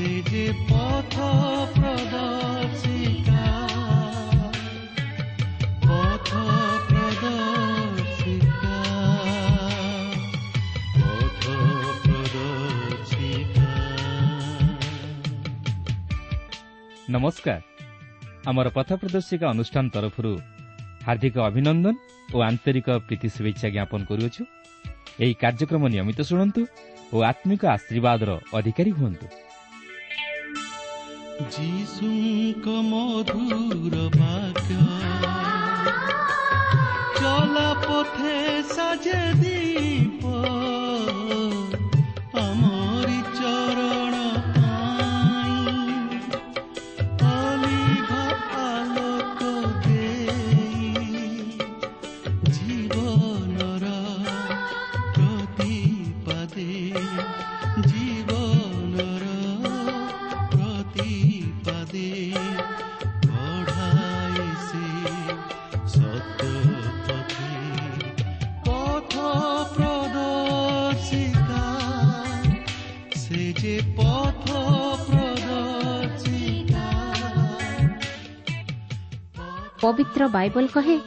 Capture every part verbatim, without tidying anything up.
ସେ ଯେ ପଥ ପ୍ରଦର୍ଶିକା, ପଥ ପ୍ରଦର୍ଶିକା, ପଥ ପ୍ରଦର୍ଶିକା। ନମସ୍କାର। ଆମର ପଥ ପ୍ରଦର୍ଶିକା ଅନୁଷ୍ଠାନ ତରଫରୁ ହାର୍ଦ୍ଦିକ ଅଭିନନ୍ଦନ ଓ ଆନ୍ତରିକ ପ୍ରୀତି ଶୁଭେଚ୍ଛା ଜ୍ଞାପନ କରୁଅଛୁ। ଏହି କାର୍ଯ୍ୟକ୍ରମ ନିୟମିତ ଶୁଣନ୍ତୁ ଓ ଆତ୍ମିକ ଆଶୀର୍ବାଦର ଅଧିକାରୀ ହୁଅନ୍ତୁ। ଯୀଶୁଙ୍କ ମଧୁର ବାକ୍ୟ ଚଲା ପଥେ ସାଜେ ଦୀପ, ଆମରି ଚରଣ ପାଇଁ ଅଲିଭ ଆଲୋକ ଦେଇ, ଜୀବନର ପ୍ରତିପାଦେ, ଜୀବନର ପ୍ରତିପାଦେ କଢ଼ାଏ ସେ ସତ୍ୟ ପଥେ। ପଥ ପ୍ରଦର୍ଶିକା, ସେ ଯେ ପଥ ପ୍ରଦର୍ଶିକା। ପବିତ୍ର ବାଇବଲ କହେ,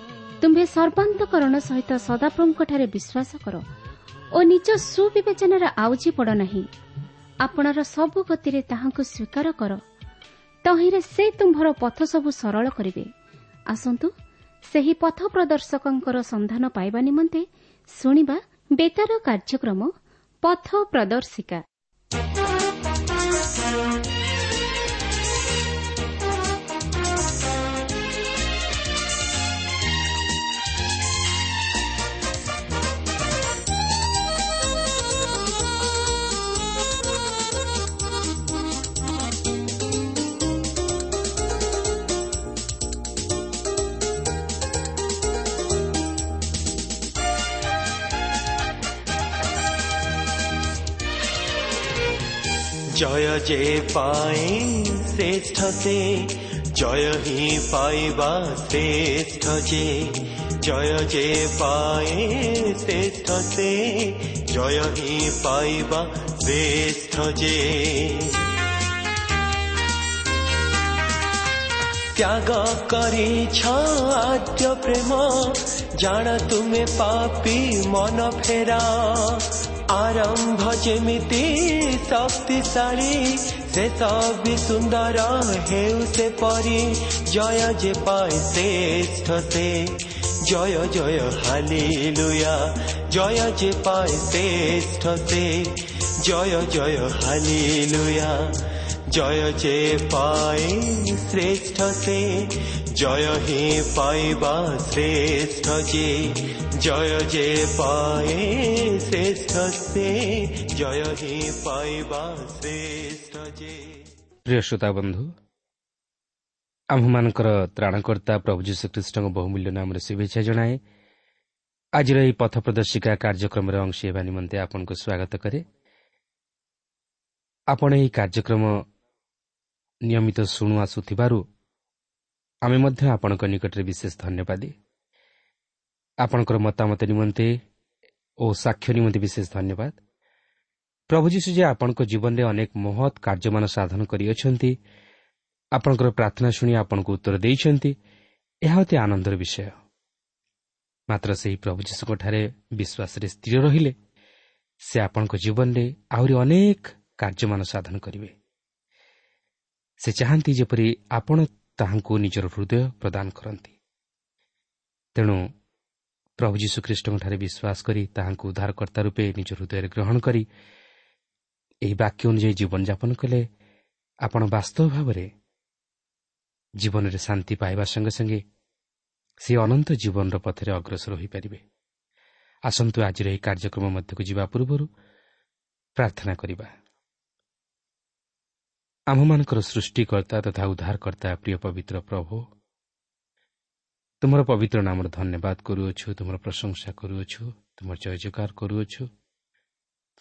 ତୁମ୍ଭେ ସର୍ବାନ୍ତକରଣ ସହିତ ସଦାପ୍ରଭୁଙ୍କଠାରେ ବିଶ୍ୱାସ କର ଓ ନିଜ ସୁବିବେଚନାରେ ଆଉଜି ପଡ଼ ନାହିଁ। ଆପଣର ସବୁ ଗତିରେ ତାହାଙ୍କୁ ସ୍ୱୀକାର କର, ତହିଁରେ ସେ ତୁମ୍ଭର ପଥ ସବୁ ସରଳ କରିବେ। ଆସନ୍ତୁ ସେହି ପଥ ପ୍ରଦର୍ଶକଙ୍କର ସନ୍ଧାନ ପାଇବା ନିମନ୍ତେ ଶୁଣିବା ବେତାର କାର୍ଯ୍ୟକ୍ରମ ପଥ ପ୍ରଦର୍ଶିକା। ଜୟ ଯେ ପାଏ ଶ୍ରେଷ୍ଠ ସେ, ଜୟ ହିଁ ପାଇବା ଶ୍ରେଷ୍ଠ ଯେ। ଜୟ ଯେ ପାଏ ଶ୍ରେଷ୍ଠ ସେ, ଜୟ ହିଁ ପାଇବା ଶ୍ରେଷ୍ଠ ଯେ। ତ୍ୟାଗ କରିଛ ଆଦ୍ୟ ପ୍ରେମ, ଜାଣ ତୁମେ ପାପୀ ମନ ଫେରା। ଆରମ୍ଭ ଯେମିତି ଶକ୍ତିଶାଳୀ, ଶେଷ ବି ସୁନ୍ଦର ହେଉ ସେପରି। ଜୟ ଯେ ପାଏ ଶ୍ରେଷ୍ଠ ସେ, ଜୟ ଜୟ ହାଲେଲୁୟା। ଜୟ ଯେ ପାଏ ଶ୍ରେଷ୍ଠ ସେ, ଜୟ ଜୟ ହାଲେଲୁୟା। ଜୟ ଯେ ପାଏ ଶ୍ରେଷ୍ଠ ସେ, ଜୟ ହିଁ ପାଇବା ଶ୍ରେଷ୍ଠ ଯେ। ଜୟ ଯେ ପାଏ ଶ୍ରେଷ୍ଠ ସେ, ଜୟ ହିଁ ପାଇବା ଶ୍ରେଷ୍ଠ ଯେ। ପ୍ରିୟ ଶ୍ରୋତା ବନ୍ଧୁ, ଆମ୍ଭମାନଙ୍କର ତ୍ରାଣକର୍ତ୍ତା ପ୍ରଭୁ ଯୀଶୁଖ୍ରୀଷ୍ଟଙ୍କ ବହୁମୂଲ୍ୟ ନାମରେ ଶୁଭେଚ୍ଛା ଜଣାଏ। ଆଜିର ଏହି ପଥ ପ୍ରଦର୍ଶିକା କାର୍ଯ୍ୟକ୍ରମରେ ଅଂଶୀ ହେବା ନିମନ୍ତେ ଆପଣଙ୍କୁ ସ୍ୱାଗତ କରେ। ଆପଣ ଏହି କାର୍ଯ୍ୟକ୍ରମ ନିୟମିତ ଶୁଣୁ ଆସୁଥିବାରୁ ଆମେ ମଧ୍ୟ ଆପଣଙ୍କ ନିକଟରେ ବିଶେଷ ଧନ୍ୟବାଦୀ। ଆପଣଙ୍କର ମତାମତ ନିମନ୍ତେ ଓ ସାକ୍ଷ୍ୟ ନିମନ୍ତେ ବିଶେଷ ଧନ୍ୟବାଦ। ପ୍ରଭୁ ଯୀଶୁ ଯେ ଆପଣଙ୍କ ଜୀବନରେ ଅନେକ ମହତ୍ କାର୍ଯ୍ୟମାନ ସାଧନ କରିଅଛନ୍ତି, ଆପଣଙ୍କର ପ୍ରାର୍ଥନା ଶୁଣି ଆପଣଙ୍କୁ ଉତ୍ତର ଦେଇଛନ୍ତି, ଏହା ଅତି ଆନନ୍ଦର ବିଷୟ। ମାତ୍ର ସେହି ପ୍ରଭୁ ଯୀଶୁଙ୍କଠାରେ ବିଶ୍ୱାସରେ ସ୍ଥିର ରହିଲେ ସେ ଆପଣଙ୍କ ଜୀବନରେ ଆହୁରି ଅନେକ କାର୍ଯ୍ୟମାନ ସାଧନ କରିବେ। ସେ ଚାହାନ୍ତି ଯେପରି ଆପଣ ତାହାଙ୍କୁ ନିଜର ହୃଦୟ ପ୍ରଦାନ କରନ୍ତି। ତେଣୁ ପ୍ରଭୁ ଯୀଶୁଖ୍ରୀଷ୍ଟଙ୍କଠାରେ ବିଶ୍ୱାସ କରି ତାହାଙ୍କୁ ଉଦ୍ଧାରକର୍ତ୍ତା ରୂପେ ନିଜ ହୃଦୟରେ ଗ୍ରହଣ କରି ଏହି ବାକ୍ୟ ଅନୁଯାୟୀ ଜୀବନଯାପନ କଲେ ଆପଣ ବାସ୍ତବ ଭାବରେ ଜୀବନରେ ଶାନ୍ତି ପାଇବା ସଙ୍ଗେ ସଙ୍ଗେ ସେ ଅନନ୍ତ ଜୀବନର ପଥରେ ଅଗ୍ରସର ହୋଇପାରିବେ। ଆସନ୍ତୁ ଆଜିର ଏହି କାର୍ଯ୍ୟକ୍ରମ ମଧ୍ୟକୁ ଯିବା ପୂର୍ବରୁ ପ୍ରାର୍ଥନା କରିବା। ଆମ୍ଭମାନଙ୍କର ସୃଷ୍ଟିକର୍ତ୍ତା ତଥା ଉଦ୍ଧାରକର୍ତ୍ତା ପ୍ରିୟ ପବିତ୍ର ପ୍ରଭୁ, ତୁମର ପବିତ୍ର ନାମର ଧନ୍ୟବାଦ କରୁଅଛୁ, ତୁମର ପ୍ରଶଂସା କରୁଅଛୁ, ତୁମର ଜୟ ଜୟକାର କରୁଅଛୁ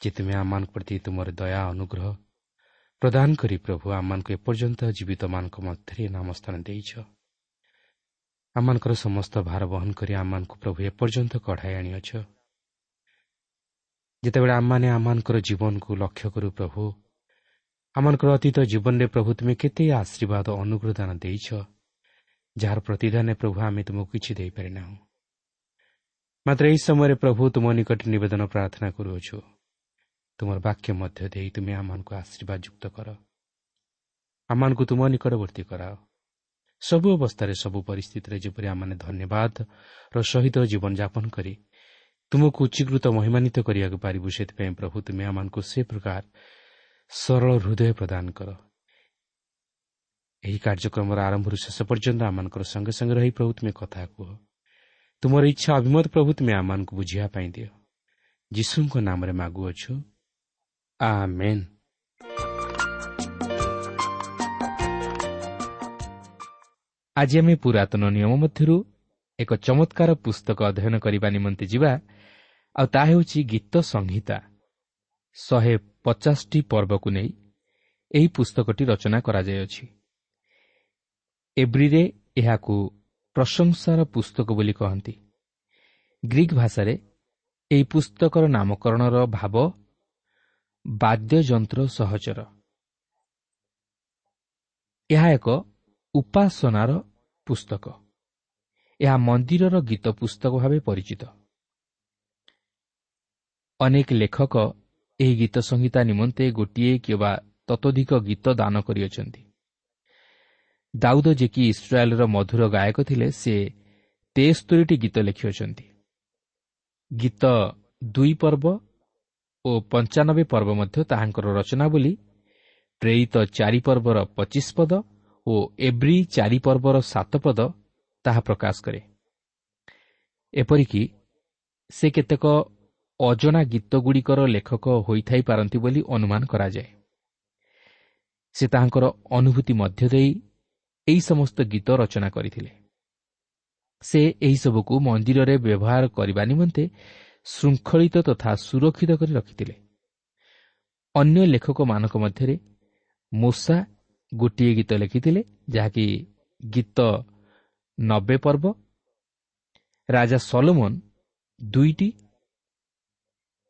ଯେ ତୁମେ ଆମମାନଙ୍କ ପ୍ରତି ତୁମର ଦୟା ଅନୁଗ୍ରହ ପ୍ରଦାନ କରି ପ୍ରଭୁ ଆମମାନଙ୍କୁ ଏପର୍ଯ୍ୟନ୍ତ ଜୀବିତମାନଙ୍କ ମଧ୍ୟରେ ନାମ ସ୍ଥାନ ଦେଇଛ। ଆମମାନଙ୍କର ସମସ୍ତ ଭାର ବହନ କରି ଆମମାନଙ୍କୁ ପ୍ରଭୁ ଏପର୍ଯ୍ୟନ୍ତ କଢ଼ାଇ ଆଣିଅଛ। ଯେତେବେଳେ ଆମମାନେ ଆମମାନଙ୍କର ଜୀବନକୁ ଲକ୍ଷ୍ୟ କରୁ ପ୍ରଭୁ, ଆମମାନଙ୍କର ଅତୀତ ଜୀବନରେ ପ୍ରଭୁ ତୁମେ କେତେ ଆଶୀର୍ବାଦ ଅନୁଗ୍ରହ ଦାନ ଦେଇଛ, ଯାହାର ପ୍ରତିଦାନରେ ପ୍ରଭୁ ଆମେ ତୁମକୁ କିଛି ଦେଇପାରିନାହୁଁ। ମାତ୍ର ଏହି ସମୟରେ ପ୍ରଭୁ ତୁମ ନିକଟରେ ନିବେଦନ ପ୍ରାର୍ଥନା କରୁଅଛୁ, ତୁମର ବାକ୍ୟ ମଧ୍ୟ ଦେଇ ତୁମେ ଆମମାନଙ୍କୁ ଆଶୀର୍ବାଦ ଯୁକ୍ତ କର, ଆମମାନଙ୍କୁ ତୁମ ନିକଟବର୍ତ୍ତୀ କରାଅ। ସବୁ ଅବସ୍ଥାରେ ସବୁ ପରିସ୍ଥିତିରେ ଯେପରି ଆମମାନେ ଧନ୍ୟବାଦର ସହିତ ଜୀବନଯାପନ କରି ତୁମକୁ ଉଚ୍ଚୀକୃତ ମହିମାନିତ କରିବାକୁ ପାରିବୁ, ସେଥିପାଇଁ ପ୍ରଭୁ ତୁମେ ଆମମାନଙ୍କୁ ସେ ପ୍ରକାର ସରଳ ହୃଦୟ ପ୍ରଦାନ କର। ଏହି କାର୍ଯ୍ୟକ୍ରମର ଆରମ୍ଭରୁ ଶେଷ ପର୍ଯ୍ୟନ୍ତ ଆମମାନଙ୍କର ସଙ୍ଗେ ସଙ୍ଗେ ରହି ପ୍ରଭୁ ତୁମେ କଥା କୁହ। ତୁମର ଇଚ୍ଛା ଅଭିମତ ପ୍ରଭୁ ତୁମେ ଆମମାନଙ୍କୁ ବୁଝିବା ପାଇଁ ଦିଅ। ଯୀଶୁଙ୍କ ନାମରେ ମାଗୁଅଛୁ, ଆମେନ୍। ଆଜି ଆମେ ପୁରାତନ ନିୟମ ମଧ୍ୟରୁ ଏକ ଚମତ୍କାର ପୁସ୍ତକ ଅଧ୍ୟୟନ କରିବା ନିମନ୍ତେ ଯିବା, ଆଉ ତାହା ହେଉଛି ଗୀତ ସଂହିତା। ଶହେ ପଚାଶଟି ପର୍ବକୁ ନେଇ ଏହି ପୁସ୍ତକଟି ରଚନା କରାଯାଇଅଛି। ଏବ୍ରିରେ ଏହାକୁ ପ୍ରଶଂସାର ପୁସ୍ତକ ବୋଲି କହନ୍ତି। ଗ୍ରୀକ୍ ଭାଷାରେ ଏହି ପୁସ୍ତକର ନାମକରଣର ଭାବ ବାଦ୍ୟଯନ୍ତ୍ର ସହଚର। ଏହା ଏକ ଉପାସନାର ପୁସ୍ତକ। ଏହା ମନ୍ଦିରର ଗୀତ ପୁସ୍ତକ ଭାବେ ପରିଚିତ। ଅନେକ ଲେଖକ ଏହି ଗୀତ ସଂହିତା ନିମନ୍ତେ ଗୋଟିଏ କିମ୍ବା ତତୋଧିକ ଗୀତ ଦାନ କରିଅଛନ୍ତି। ଦାଉଦ, ଯେ କି ଇସ୍ରାଏଲର ମଧୁର ଗାୟକ ଥିଲେ, ସେ ତେସ୍ତୋରିଟି ଗୀତ ଲେଖିଅଛନ୍ତି। ଗୀତ ଦୁଇ ପର୍ବ ଓ ପଞ୍ଚାନବେ ପର୍ବ ମଧ୍ୟ ତାହାଙ୍କର ରଚନା ବୋଲି ପ୍ରେରିତ ଚାରି ପର୍ବର ପଚିଶ ପଦ ଓ ଏବ୍ରି ଚାରି ପର୍ବର ସାତ ପଦ ତାହା ପ୍ରକାଶ କରେ। ଏପରିକି ସେ କେତେକ ଅଜଣା ଗୀତଗୁଡ଼ିକର ଲେଖକ ହୋଇଥାଇପାରନ୍ତି ବୋଲି ଅନୁମାନ କରାଯାଏ। ସେ ତାହାଙ୍କର ଅନୁଭୂତି ମଧ୍ୟ ଦେଇ ଏହି ସମସ୍ତ ଗୀତ ରଚନା କରିଥିଲେ। ସେ ଏହିସବୁକୁ ମନ୍ଦିରରେ ବ୍ୟବହାର କରିବା ନିମନ୍ତେ ଶୃଙ୍ଖଳିତ ତଥା ସୁରକ୍ଷିତ କରି ରଖିଥିଲେ। ଅନ୍ୟ ଲେଖକମାନଙ୍କ ମଧ୍ୟରେ ମୋଶା ଗୋଟିଏ ଗୀତ ଲେଖିଥିଲେ, ଯାହାକି ଗୀତ ନବେ ପର୍ବ। ରାଜା ସଲୋମନ ଦୁଇଟି,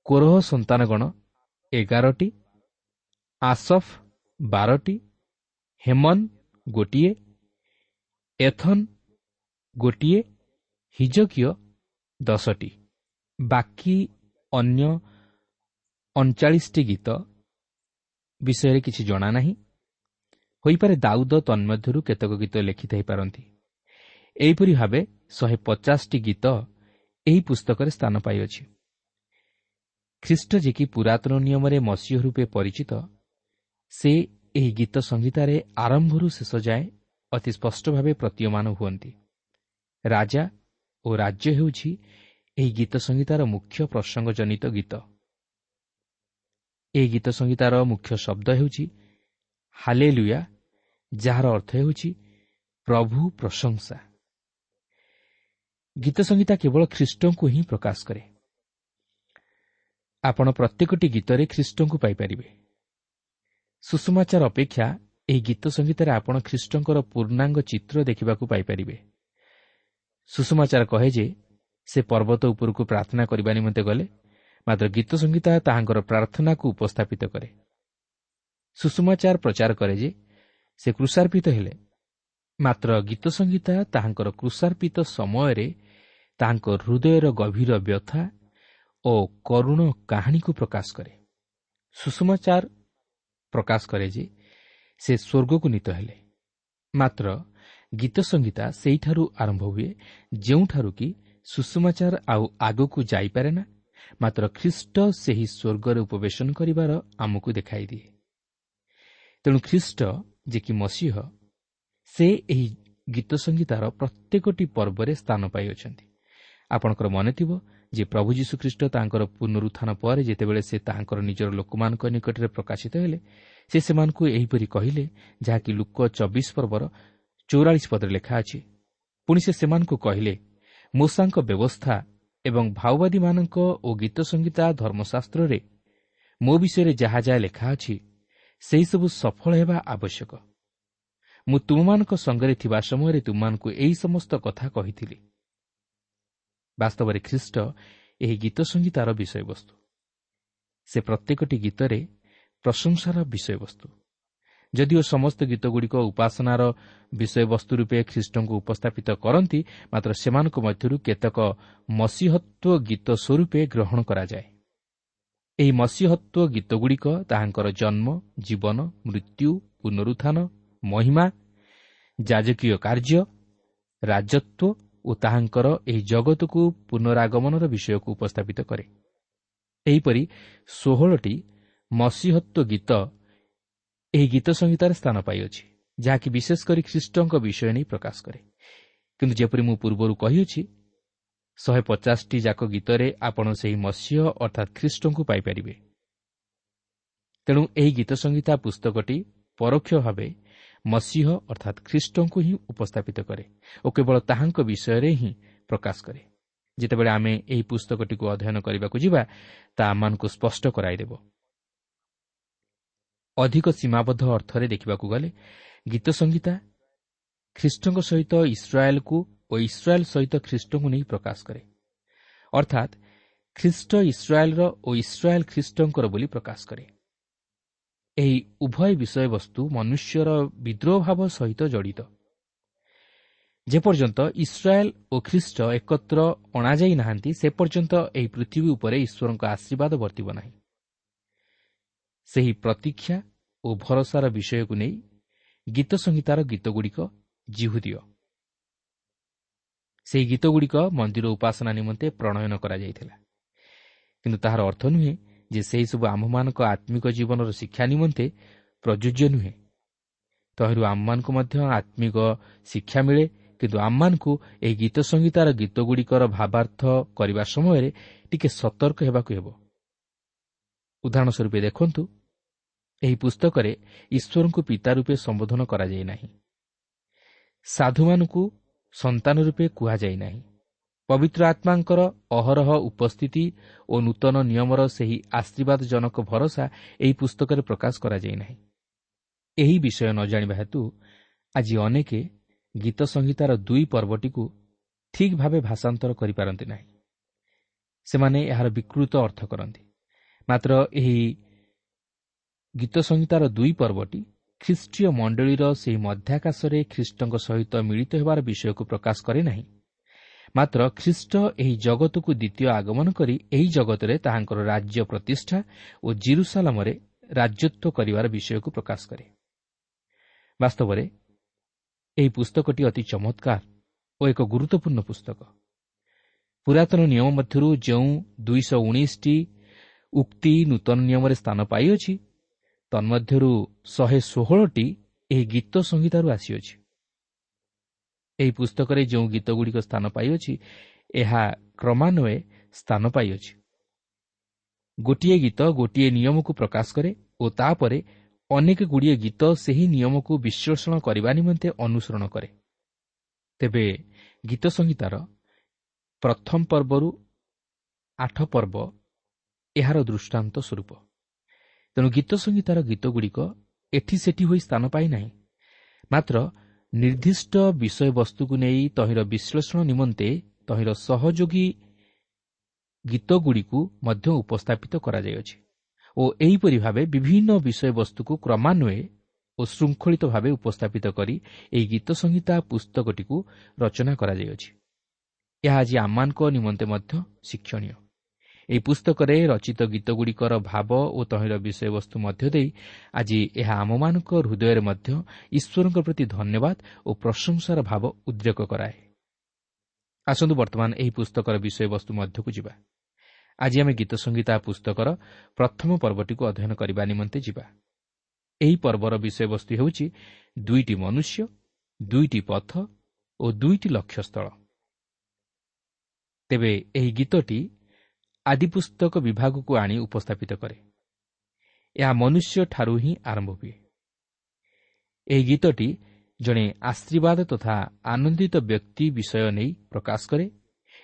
କୋରହ ସନ୍ତାନଗଣ ଏଗାରଟି, ଆସଫ ବାରଟି, ହେମନ ଗୋଟିଏ, ଏଥନ ଗୋଟିଏ, ହିଜକିୟ ଦଶଟି। ବାକି ଅନ୍ୟ ଅଣଚାଳିଶଟି ଗୀତ ବିଷୟରେ କିଛି ଜଣା ନାହିଁ। ହୋଇପାରେ ଦାଉଦ ତନ୍ମଧ୍ୟରୁ କେତେକ ଗୀତ ଲେଖିଥାଇପାରନ୍ତି। ଏହିପରି ଭାବେ ଶହେ ପଚାଶଟି ଗୀତ ଏହି ପୁସ୍ତକରେ ସ୍ଥାନ ପାଇଅଛି। ଖ୍ରୀଷ୍ଟ ଯେ କି ପୁରାତନ ନିୟମରେ ମସିହ ରୂପେ ପରିଚିତ, ସେ ଏହି ଗୀତ ସଂହିତାରେ ଆରମ୍ଭରୁ ଶେଷ ଯାଏ ଅତି ସ୍ପଷ୍ଟ ଭାବେ ପ୍ରତୀୟମାନ ହୁଅନ୍ତି। ରାଜା ଓ ରାଜ୍ୟ ହେଉଛି ଏହି ଗୀତ ସଂହିତାର ମୁଖ୍ୟ ପ୍ରସଙ୍ଗଜନିତ ଗୀତ। ଏହି ଗୀତ ସଂହିତାର ମୁଖ୍ୟ ଶବ୍ଦ ହେଉଛି ହାଲେଲୁୟା, ଯାହାର ଅର୍ଥ ହେଉଛି ପ୍ରଭୁ ପ୍ରଶଂସା। ଗୀତ ସଂହିତା କେବଳ ଖ୍ରୀଷ୍ଟଙ୍କୁ ହିଁ ପ୍ରକାଶ କରେ। ଆପଣ ପ୍ରତ୍ୟେକଟି ଗୀତରେ ଖ୍ରୀଷ୍ଟଙ୍କୁ ପାଇପାରିବେ। ସୁଷମାଚାର ଅପେକ୍ଷା ଏହି ଗୀତ ସଂହିତାରେ ଆପଣ ଖ୍ରୀଷ୍ଟଙ୍କର ପୂର୍ଣ୍ଣାଙ୍ଗ ଚିତ୍ର ଦେଖିବାକୁ ପାଇପାରିବେ। ସୁଷମାଚାର କହେ ଯେ ସେ ପର୍ବତ ଉପରକୁ ପ୍ରାର୍ଥନା କରିବା ନିମନ୍ତେ ଗଲେ, ମାତ୍ର ଗୀତ ସଂହିତା ତାହାଙ୍କର ପ୍ରାର୍ଥନାକୁ ଉପସ୍ଥାପିତ କରେ। ସୁଷମାଚାର ପ୍ରଚାର କରେ ଯେ ସେ କ୍ରୁଶାର୍ପିତ ହେଲେ, ମାତ୍ର ଗୀତ ସଂହିତା ତାହାଙ୍କର କ୍ରୁଶାର୍ପିତ ସମୟରେ ତାହାଙ୍କ ହୃଦୟର ଗଭୀର ବ୍ୟଥା ଓ କରୁଣ କାହାଣୀକୁ ପ୍ରକାଶ କରେ। ସୁଷମାଚାର ପ୍ରକାଶ କରେ ଯେ ସେ ସ୍ୱର୍ଗକୁ ନୀତ ହେଲେ, ମାତ୍ର ଗୀତ ସଂହିତା ସେଇଠାରୁ ଆରମ୍ଭ ହୁଏ ଯେଉଁଠାରୁ କି ସୁଷମାଚାର ଆଉ ଆଗକୁ ଯାଇପାରେ ନା, ମାତ୍ର ଖ୍ରୀଷ୍ଟ ସେହି ସ୍ୱର୍ଗରେ ଉପବେଶନ କରିବାର ଆମକୁ ଦେଖାଇଦିଏ। ତେଣୁ ଖ୍ରୀଷ୍ଟ ଯେ କି ମସିହ, ସେ ଏହି ଗୀତ ସଂହିତାର ପ୍ରତ୍ୟେକଟି ପର୍ବରେ ସ୍ଥାନ ପାଇଅଛନ୍ତି। ଆପଣଙ୍କର ମନେଥିବ ଯେ ପ୍ରଭୁ ଯୀଶୁଖ୍ରୀଷ୍ଟ ତାଙ୍କର ପୁନରୁତ୍ଥାନ ପରେ ଯେତେବେଳେ ସେ ତାହାଙ୍କର ନିଜର ଲୋକମାନଙ୍କ ନିକଟରେ ପ୍ରକାଶିତ ହେଲେ, ସେ ସେମାନଙ୍କୁ ଏହିପରି କହିଲେ, ଯାହାକି ଲୁକ ଚବିଶ ପର୍ବର ଚଉରାଳିଶ ପଦରେ ଲେଖା ଅଛି। ପୁଣି ସେ ସେମାନଙ୍କୁ କହିଲେ, ମୋଶାଙ୍କ ବ୍ୟବସ୍ଥା ଏବଂ ଭାଓବାଦୀମାନଙ୍କ ଓ ଗୀତ ସଂହିତା ଧର୍ମଶାସ୍ତ୍ରରେ ମୋ ବିଷୟରେ ଯାହା ଯାହା ଲେଖା ଅଛି, ସେହିସବୁ ସଫଳ ହେବା ଆବଶ୍ୟକ। ମୁଁ ତୁମମାନଙ୍କ ସଙ୍ଗରେ ଥିବା ସମୟରେ ତୁମମାନଙ୍କୁ ଏହି ସମସ୍ତ କଥା କହିଥିଲି। ବାସ୍ତବରେ ଖ୍ରୀଷ୍ଟ ଏହି ଗୀତ ସଂହିତାର ବିଷୟବସ୍ତୁ। ସେ ପ୍ରତ୍ୟେକଟି ଗୀତରେ ପ୍ରଶଂସାର ବିଷୟବସ୍ତୁ। ଯଦିଓ ସମସ୍ତ ଗୀତଗୁଡ଼ିକ ଉପାସନାର ବିଷୟବସ୍ତୁ ରୂପେ ଖ୍ରୀଷ୍ଟଙ୍କୁ ଉପସ୍ଥାପିତ କରନ୍ତି, ମାତ୍ର ସେମାନଙ୍କ ମଧ୍ୟରୁ କେତେକ ମସିହତ୍ୱ ଗୀତ ସ୍ୱରୂପେ ଗ୍ରହଣ କରାଯାଏ। ଏହି ମସିହତ୍ୱ ଗୀତଗୁଡ଼ିକ ତାହାଙ୍କର ଜନ୍ମ, ଜୀବନ, ମୃତ୍ୟୁ, ପୁନରୁତ୍ଥାନ, ମହିମା, ଯାଜକୀୟ କାର୍ଯ୍ୟ, ରାଜତ୍ୱ ଓ ତାହାଙ୍କର ଏହି ଜଗତକୁ ପୁନରାଗମନର ବିଷୟକୁ ଉପସ୍ଥାପିତ କରେ। ଏହିପରି ଷୋହଳଟି ମସିହତ୍ୱ ଗୀତ ଏହି ଗୀତ ସଂହିତାରେ ସ୍ଥାନ ପାଇଅଛି, ଯାହାକି ବିଶେଷ କରି ଖ୍ରୀଷ୍ଟଙ୍କ ବିଷୟ ନେଇ ପ୍ରକାଶ କରେ। କିନ୍ତୁ ଯେପରି ମୁଁ ପୂର୍ବରୁ କହିଅଛି, ଶହେ ପଚାଶଟି ଯାକ ଗୀତରେ ଆପଣ ସେହି ମସିହ ଅର୍ଥାତ୍ ଖ୍ରୀଷ୍ଟଙ୍କୁ ପାଇପାରିବେ। ତେଣୁ ଏହି ଗୀତ ସଂହିତା ପୁସ୍ତକଟି ପରୋକ୍ଷ ଭାବେ ମସିହ ଅର୍ଥାତ୍ ଖ୍ରୀଷ୍ଟଙ୍କୁ ହିଁ ଉପସ୍ଥାପିତ କରେ ଓ କେବଳ ତାହାଙ୍କ ବିଷୟରେ ହିଁ ପ୍ରକାଶ କରେ। ଯେତେବେଳେ ଆମେ ଏହି ପୁସ୍ତକଟିକୁ ଅଧ୍ୟୟନ କରିବାକୁ ଯିବା, ତାହା ଆମମାନଙ୍କୁ ସ୍ପଷ୍ଟ କରାଇଦେବ। ଅଧିକ ସୀମାବଦ୍ଧ ଅର୍ଥରେ ଦେଖିବାକୁ ଗଲେ ଗୀତ ସଂହିତା ଖ୍ରୀଷ୍ଟଙ୍କ ସହିତ ଇସ୍ରାଏଲକୁ ଓ ଇସ୍ରାଏଲ ସହିତ ଖ୍ରୀଷ୍ଟଙ୍କୁ ନେଇ ପ୍ରକାଶ କରେ, ଅର୍ଥାତ୍ ଖ୍ରୀଷ୍ଟ ଇସ୍ରାଏଲର ଓ ଇସ୍ରାଏଲ ଖ୍ରୀଷ୍ଟଙ୍କର ବୋଲି ପ୍ରକାଶ କରେ। ଏହି ଉଭୟ ବିଷୟବସ୍ତୁ ମନୁଷ୍ୟର ବିଦ୍ରୋହ ଭାବ ସହିତ ଜଡ଼ିତ। ଯେପର୍ଯ୍ୟନ୍ତ ଇସ୍ରାଏଲ ଓ ଖ୍ରୀଷ୍ଟ ଏକତ୍ର ଅଣାଯାଇ ନାହାନ୍ତି, ସେ ପର୍ଯ୍ୟନ୍ତ ଏହି ପୃଥିବୀ ଉପରେ ଈଶ୍ୱରଙ୍କ ଆଶୀର୍ବାଦ ବର୍ତ୍ତିବ ନାହିଁ। ସେହି ପ୍ରତୀକ୍ଷା ଓ ଭରସାର ବିଷୟକୁ ନେଇ ଗୀତ ସଂହିତାର ଗୀତଗୁଡ଼ିକ ଜିହୁଦୀୟ। ସେହି ଗୀତଗୁଡ଼ିକ ମନ୍ଦିର ଉପାସନା ନିମନ୍ତେ ପ୍ରଣୟନ କରାଯାଇଥିଲା, କିନ୍ତୁ ତାହାର ଅର୍ଥ ନୁହେଁ ଯେ ସେହିସବୁ ଆମ୍ଭମାନଙ୍କ ଆତ୍ମିକ ଜୀବନର ଶିକ୍ଷା ନିମନ୍ତେ ପ୍ରଯୁଜ୍ୟ ନୁହେଁ। ତହିଁରୁ ଆମମାନଙ୍କୁ ମଧ୍ୟ ଆତ୍ମିକ ଶିକ୍ଷା ମିଳେ, କିନ୍ତୁ ଆମମାନଙ୍କୁ ଏହି ଗୀତ ସଂହିତାର ଗୀତଗୁଡ଼ିକର ଭାବାର୍ଥ କରିବା ସମୟରେ ଟିକେ ସତର୍କ ହେବାକୁ ହେବ। ଉଦାହରଣ ସ୍ୱରୂପ ଦେଖନ୍ତୁ, ଏହି ପୁସ୍ତକରେ ଈଶ୍ୱରଙ୍କୁ ପିତା ରୂପେ ସମ୍ବୋଧନ କରାଯାଇ ନାହିଁ, ସାଧୁମାନଙ୍କୁ ସନ୍ତାନ ରୂପେ କୁହାଯାଇ ନାହିଁ। ପବିତ୍ର ଆତ୍ମାଙ୍କର ଅହରହ ଉପସ୍ଥିତି ଓ ନୂତନ ନିୟମର ସେହି ଆଶୀର୍ବାଦଜନକ ଭରସା ଏହି ପୁସ୍ତକରେ ପ୍ରକାଶ କରାଯାଇ ନାହିଁ। ଏହି ବିଷୟ ନ ଜାଣିବା ହେତୁ ଆଜି ଅନେକ ଗୀତ ସଂହିତାର ଦୁଇ ପର୍ବଟିକୁ ଠିକ୍ ଭାବେ ଭାଷାନ୍ତର କରିପାରନ୍ତି ନାହିଁ। ସେମାନେ ଏହାର ବିକୃତ ଅର୍ଥ କରନ୍ତି। ମାତ୍ର ଏହି ଗୀତ ସଂହିତାର ଦୁଇ ପର୍ବଟି ଖ୍ରୀଷ୍ଟୀୟ ମଣ୍ଡଳୀର ସେହି ମଧ୍ୟାକାଶରେ ଖ୍ରୀଷ୍ଟଙ୍କ ସହିତ ମିଳିତ ହେବାର ବିଷୟକୁ ପ୍ରକାଶ କରେ ନାହିଁ, ମାତ୍ର ଖ୍ରୀଷ୍ଟ ଏହି ଜଗତକୁ ଦ୍ୱିତୀୟ ଆଗମନ କରି ଏହି ଜଗତରେ ତାହାଙ୍କର ରାଜ୍ୟ ପ୍ରତିଷ୍ଠା ଓ ଜିରୁସାଲାମରେ ରାଜତ୍ୱ କରିବାର ବିଷୟକୁ ପ୍ରକାଶ କରେ। ବାସ୍ତବରେ ଏହି ପୁସ୍ତକଟି ଅତି ଚମତ୍କାର ଓ ଏକ ଗୁରୁତ୍ୱପୂର୍ଣ୍ଣ ପୁସ୍ତକ। ପୁରାତନ ନିୟମ ମଧ୍ୟରୁ ଯେଉଁ ଦୁଇଶହ ଉଣେଇଶଟି ଉକ୍ତି ନୂତନ ନିୟମରେ ସ୍ଥାନ ପାଇଅଛି, ତନ୍ମଧ୍ୟରୁ ଶହେ ଷୋହଳଟି ଏହି ଗୀତ ସଂହିତାରୁ ଆସିଅଛି। ଏହି ପୁସ୍ତକରେ ଯେଉଁ ଗୀତଗୁଡ଼ିକ ସ୍ଥାନ ପାଇଅଛି, ଏହା କ୍ରମାନ୍ୱয়ে ସ୍ଥାନ ପାଇଅଛି। ଗୋଟିଏ ଗୀତ ଗୋଟିଏ ନିୟମକୁ ପ୍ରକାଶ କରେ ଓ ତାପରେ ଅନେକ ଗୁଡ଼ିଏ ଗୀତ ସେହି ନିୟମକୁ ବିଶ୍ଳେଷଣ କରିବା ନିମନ୍ତେ ଅନୁସରଣ କରେ। ତେବେ ଗୀତ ସଂହିତାର ପ୍ରଥମ ପର୍ବରୁ ଆଠ ପର୍ବ ଏହାର ଦୃଷ୍ଟାନ୍ତ ସ୍ୱରୂପ। ତେଣୁ ଗୀତ ସଂହିତାର ଗୀତଗୁଡ଼ିକ ଏଠି ସେଠି ହୋଇ ସ୍ଥାନ ପାଇନାହିଁ, ମାତ୍ର ନିର୍ଦ୍ଦିଷ୍ଟ ବିଷୟବସ୍ତୁକୁ ନେଇ ତହିଁର ବିଶ୍ଳେଷଣ ନିମନ୍ତେ ତହିଁର ସହଯୋଗୀ ଗୀତଗୁଡ଼ିକୁ ମଧ୍ୟ ଉପସ୍ଥାପିତ କରାଯାଇଅଛି ଓ ଏହିପରି ଭାବେ ବିଭିନ୍ନ ବିଷୟବସ୍ତୁକୁ କ୍ରମାନ୍ୱয়ে ଓ ଶୃଙ୍ଖଳିତ ଭାବେ ଉପସ୍ଥାପିତ କରି ଏହି ଗୀତ ସଂହିତା ପୁସ୍ତକଟିକୁ ରଚନା କରାଯାଇଅଛି। ଏହା ଆଜି ଆମମାନଙ୍କ ନିମନ୍ତେ ମଧ୍ୟ ଶିକ୍ଷଣୀୟ। ଏହି ପୁସ୍ତକରେ ରଚିତ ଗୀତଗୁଡ଼ିକର ଭାବ ଓ ତହିଁର ବିଷୟବସ୍ତୁ ମଧ୍ୟ ଦେଇ ଆଜି ଏହା ଆମମାନଙ୍କ ହୃଦୟରେ ମଧ୍ୟ ଈଶ୍ୱରଙ୍କ ପ୍ରତି ଧନ୍ୟବାଦ ଓ ପ୍ରଶଂସାର ଭାବ ଉଦ୍ରେକ କରାଏ। ଆସନ୍ତୁ ବର୍ତ୍ତମାନ ଏହି ପୁସ୍ତକର ବିଷୟବସ୍ତୁ ମଧ୍ୟକୁ ଯିବା। ଆଜି ଆମେ ଗୀତ ସଂହିତା ପୁସ୍ତକର ପ୍ରଥମ ପର୍ବଟିକୁ ଅଧ୍ୟୟନ କରିବା ନିମନ୍ତେ ଯିବା। ଏହି ପର୍ବର ବିଷୟବସ୍ତୁ ହେଉଛି ଦୁଇଟି ମନୁଷ୍ୟ, ଦୁଇଟି ପଥ ଓ ଦୁଇଟି ଲକ୍ଷ୍ୟସ୍ଥଳ। ତେବେ ଏହି ଗୀତଟି ଆଦିପୁସ୍ତକ ବିଭାଗକୁ ଆଣି ଉପସ୍ଥାପିତ କରେ। ଏହା ମନୁଷ୍ୟଠାରୁ ହିଁ ଆରମ୍ଭ ହୁଏ। ଏହି ଗୀତଟି ଜଣେ ଆଶୀର୍ବାଦ ତଥା ଆନନ୍ଦିତ ବ୍ୟକ୍ତି ବିଷୟ ନେଇ ପ୍ରକାଶ କରେ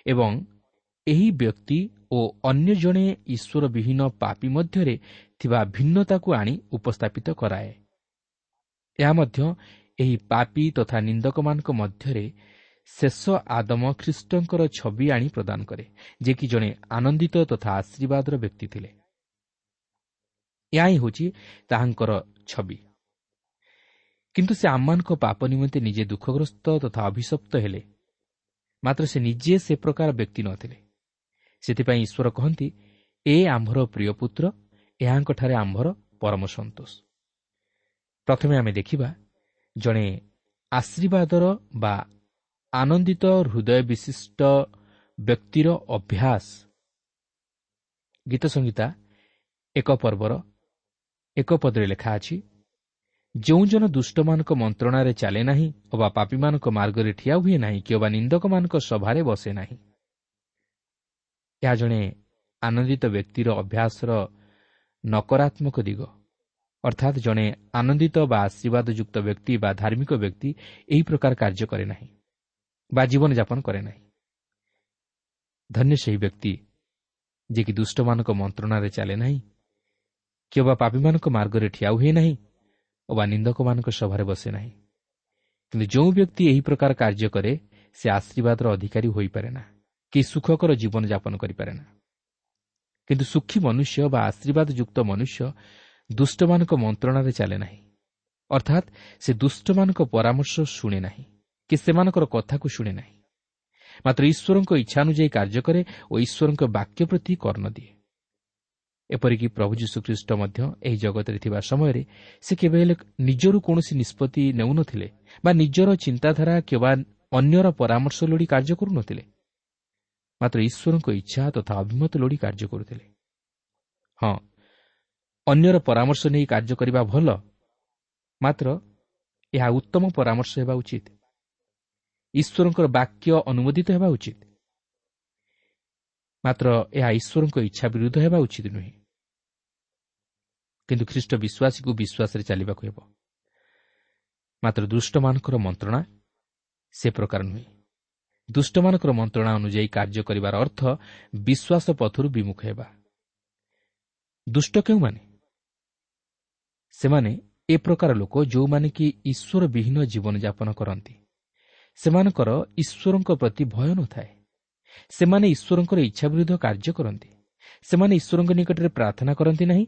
ଏବଂ ଏହି ବ୍ୟକ୍ତି ଓ ଅନ୍ୟ ଜଣେ ଈଶ୍ୱରବିହୀନ ପାପୀ ମଧ୍ୟରେ ଥିବା ଭିନ୍ନତାକୁ ଆଣି ଉପସ୍ଥାପିତ କରାଏ। ଏହା ମଧ୍ୟ ଏହି ପାପୀ ତଥା ନିନ୍ଦକମାନଙ୍କ ମଧ୍ୟରେ ଶେଷ ଆଦମ ଖ୍ରୀଷ୍ଟଙ୍କର ଛବି ଆଣି ପ୍ରଦାନ କରେ, ଯେ କି ଜଣେ ଆନନ୍ଦିତ ତଥା ଆଶୀର୍ବାଦର ବ୍ୟକ୍ତି ଥିଲେ। ଏହା ହିଁ ହେଉଛି ତାହାଙ୍କର ଛବି। କିନ୍ତୁ ସେ ଆମମାନଙ୍କ ପାପ ନିମନ୍ତେ ନିଜେ ଦୁଃଖଗ୍ରସ୍ତ ତଥା ଅଭିଶପ୍ତ ହେଲେ, ମାତ୍ର ସେ ନିଜେ ସେ ପ୍ରକାର ବ୍ୟକ୍ତି ନଥିଲେ। ସେଥିପାଇଁ ଈଶ୍ୱର କହନ୍ତି, ଏ ଆମ୍ଭର ପ୍ରିୟ ପୁତ୍ର, ଏହାଙ୍କଠାରେ ଆମ୍ଭର ପରମ ସନ୍ତୋଷ। ପ୍ରଥମେ ଆମେ ଦେଖିବା ଜଣେ ଆଶୀର୍ବାଦର ବା ଆନନ୍ଦିତ ହୃଦୟ ବିଶିଷ୍ଟ ବ୍ୟକ୍ତିର ଅଭ୍ୟାସ। ଗୀତ ସଂହିତା ଏକ ପର୍ବର ଏକ ପଦରେ ଲେଖା ଅଛି, ଯେଉଁ ଜନ ଦୁଷ୍ଟମାନଙ୍କ ମନ୍ତ୍ରଣାରେ ଚାଲେ ନାହିଁ ଅବା ପାପୀମାନଙ୍କ ମାର୍ଗରେ ଠିଆ ହୁଏ ନାହିଁ କିମ୍ବା ନିନ୍ଦକମାନଙ୍କ ସଭାରେ ବସେ ନାହିଁ। ଏହା ଜଣେ ଆନନ୍ଦିତ ବ୍ୟକ୍ତିର ଅଭ୍ୟାସର ନକାରାତ୍ମକ ଦିଗ। ଅର୍ଥାତ୍ ଜଣେ ଆନନ୍ଦିତ ବା ଆଶୀର୍ବାଦଯୁକ୍ତ ବ୍ୟକ୍ତି ବା ଧାର୍ମିକ ବ୍ୟକ୍ତି ଏହି ପ୍ରକାର କାର୍ଯ୍ୟ କରେ ନାହିଁ ବା ଜୀବନଯାପନ କରେ ନାହିଁ। ଧନ୍ୟ ସେହି ବ୍ୟକ୍ତି ଯିଏକି ଦୁଷ୍ଟମାନଙ୍କ ମନ୍ତ୍ରଣାରେ ଚାଲେ ନାହିଁ କିମ୍ବା ପାପୀମାନଙ୍କ ମାର୍ଗରେ ଠିଆ ହୁଏ ନାହିଁ ଅବା ନିନ୍ଦକମାନଙ୍କ ସଭାରେ ବସେ ନାହିଁ। କିନ୍ତୁ ଯେଉଁ ବ୍ୟକ୍ତି ଏହି ପ୍ରକାର କାର୍ଯ୍ୟ କରେ ସେ ଆଶୀର୍ବାଦର ଅଧିକାରୀ ହୋଇପାରେ ନା କି ସୁଖକର ଜୀବନଯାପନ କରିପାରେ ନା। କିନ୍ତୁ ସୁଖୀ ମନୁଷ୍ୟ ବା ଆଶୀର୍ବାଦଯୁକ୍ତ ମନୁଷ୍ୟ ଦୁଷ୍ଟମାନଙ୍କ ମନ୍ତ୍ରଣାରେ ଚାଲେ ନାହିଁ, ଅର୍ଥାତ୍ ସେ ଦୁଷ୍ଟମାନଙ୍କ ପରାମର୍ଶ ଶୁଣେ ନାହିଁ କି ସେମାନଙ୍କର କଥାକୁ ଶୁଣେ ନାହିଁ, ମାତ୍ର ଈଶ୍ୱରଙ୍କ ଇଚ୍ଛାନୁଯାୟୀ କାର୍ଯ୍ୟ କରେ ଓ ଈଶ୍ୱରଙ୍କ ବାକ୍ୟ ପ୍ରତି କର୍ଣ୍ଣ ଦିଏ। ଏପରିକି ପ୍ରଭୁ ଯୀଶୁଖ୍ରୀଷ୍ଟ ମଧ୍ୟ ଏହି ଜଗତରେ ଥିବା ସମୟରେ ସେ କେବେ ହେଲେ ନିଜରୁ କୌଣସି ନିଷ୍ପତ୍ତି ନେଉନଥିଲେ ବା ନିଜର ଚିନ୍ତାଧାରା କିମ୍ବା ଅନ୍ୟର ପରାମର୍ଶ ଲୋଡ଼ି କାର୍ଯ୍ୟ କରୁନଥିଲେ, ମାତ୍ର ଈଶ୍ୱରଙ୍କ ଇଚ୍ଛା ତଥା ଅଭିମତ ଲୋଡ଼ି କାର୍ଯ୍ୟ କରୁଥିଲେ। ହଁ, ଅନ୍ୟର ପରାମର୍ଶ ନେଇ କାର୍ଯ୍ୟ କରିବା ଭଲ, ମାତ୍ର ଏହା ଉତ୍ତମ ପରାମର୍ଶ ହେବା ଉଚିତ। ଈଶ୍ୱରଙ୍କର ବାକ୍ୟ ଅନୁମୋଦିତ ହେବା ଉଚିତ, ମାତ୍ର ଏହା ଈଶ୍ୱରଙ୍କ ଇଚ୍ଛା ବିରୁଦ୍ଧ ହେବା ଉଚିତ ନୁହେଁ। କିନ୍ତୁ ଖ୍ରୀଷ୍ଟ ବିଶ୍ୱାସୀକୁ ବିଶ୍ୱାସରେ ଚାଲିବାକୁ ହେବ, ମାତ୍ର ଦୁଷ୍ଟମାନଙ୍କର ମନ୍ତ୍ରଣା ସେ ପ୍ରକାର ନୁହେଁ। ଦୁଷ୍ଟମାନଙ୍କର ମନ୍ତ୍ରଣା ଅନୁଯାୟୀ କାର୍ଯ୍ୟ କରିବାର ଅର୍ଥ ବିଶ୍ୱାସ ପଥରୁ ବିମୁଖ ହେବା। ଦୁଷ୍ଟ କେଉଁମାନେ? ସେମାନେ ଏ ପ୍ରକାର ଲୋକ ଯେଉଁମାନେ କି ଈଶ୍ୱର ବିହୀନ ଜୀବନଯାପନ କରନ୍ତି। ସେମାନଙ୍କର ଈଶ୍ୱରଙ୍କ ପ୍ରତି ଭୟ ନଥାଏ। ସେମାନେ ଈଶ୍ୱରଙ୍କର ଇଚ୍ଛା ବିରୁଦ୍ଧ କାର୍ଯ୍ୟ କରନ୍ତି। ସେମାନେ ଈଶ୍ୱରଙ୍କ ନିକଟରେ ପ୍ରାର୍ଥନା କରନ୍ତି ନାହିଁ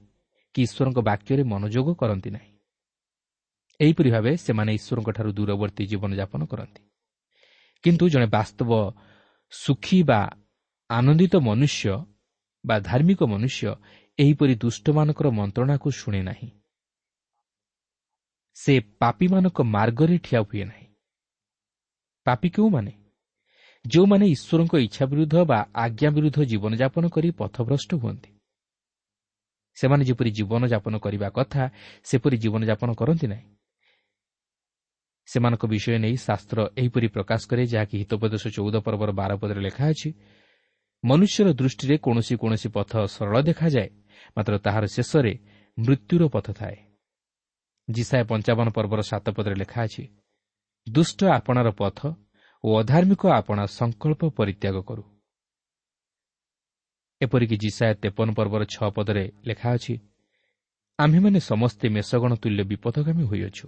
କି ଈଶ୍ୱରଙ୍କ ବାକ୍ୟରେ ମନୋଯୋଗ କରନ୍ତି ନାହିଁ। ଏହିପରି ଭାବେ ସେମାନେ ଈଶ୍ୱରଙ୍କଠାରୁ ଦୂରବର୍ତ୍ତୀ ଜୀବନଯାପନ କରନ୍ତି। କିନ୍ତୁ ଜଣେ ବାସ୍ତବ ସୁଖୀ ବା ଆନନ୍ଦିତ ମନୁଷ୍ୟ ବା ଧାର୍ମିକ ମନୁଷ୍ୟ ଏହିପରି ଦୁଷ୍ଟମାନଙ୍କର ମନ୍ତ୍ରଣାକୁ ଶୁଣେ ନାହିଁ। ସେ ପାପୀମାନଙ୍କ ମାର୍ଗରେ ଠିଆ ହୁଏ ନାହିଁ। ପାପୀ କେଉଁମାନେ? ଯେଉଁମାନେ ଈଶ୍ୱରଙ୍କ ଇଚ୍ଛା ବିରୁଦ୍ଧ ବା ଆଜ୍ଞା ବିରୁଦ୍ଧ ଜୀବନଯାପନ କରି ପଥଭ୍ରଷ୍ଟ ହୁଅନ୍ତି। ସେମାନେ ଯେପରି ଜୀବନଯାପନ କରିବା କଥା ସେପରି ଜୀବନଯାପନ କରନ୍ତି ନାହିଁ। ସେମାନଙ୍କ ବିଷୟ ନେଇ ଶାସ୍ତ୍ର ଏହିପରି ପ୍ରକାଶ କରେ, ଯାହାକି ହିତୋପଦେଶ ଚଉଦ ପର୍ବର ବାର ପଦରେ ଲେଖା ଅଛି, ମନୁଷ୍ୟର ଦୃଷ୍ଟିରେ କୌଣସି କୌଣସି ପଥ ସରଳ ଦେଖାଯାଏ, ମାତ୍ର ତାହାର ଶେଷରେ ମୃତ୍ୟୁର ପଥ ଥାଏ। ଯିଶାଇୟ ପଞ୍ଚାବନ ପର୍ବର ସାତ ପଦରେ ଲେଖା ଅଛି, ଦୁଷ୍ଟ ଆପଣାର ପଥ ଓ ଅଧାର୍ମିକ ଆପଣା ସଂକଳ୍ପ ପରିତ୍ୟାଗ କରୁ। ଏପରିକି ଯିଶାଇୟ ତେପନ ପର୍ବର ଛଅ ପଦରେ ଲେଖା ଅଛି, ଆମ୍ଭେମାନେ ସମସ୍ତେ ମେଷଗଣ ତୁଲ୍ୟ ବିପଥଗାମୀ ହୋଇଅଛୁ,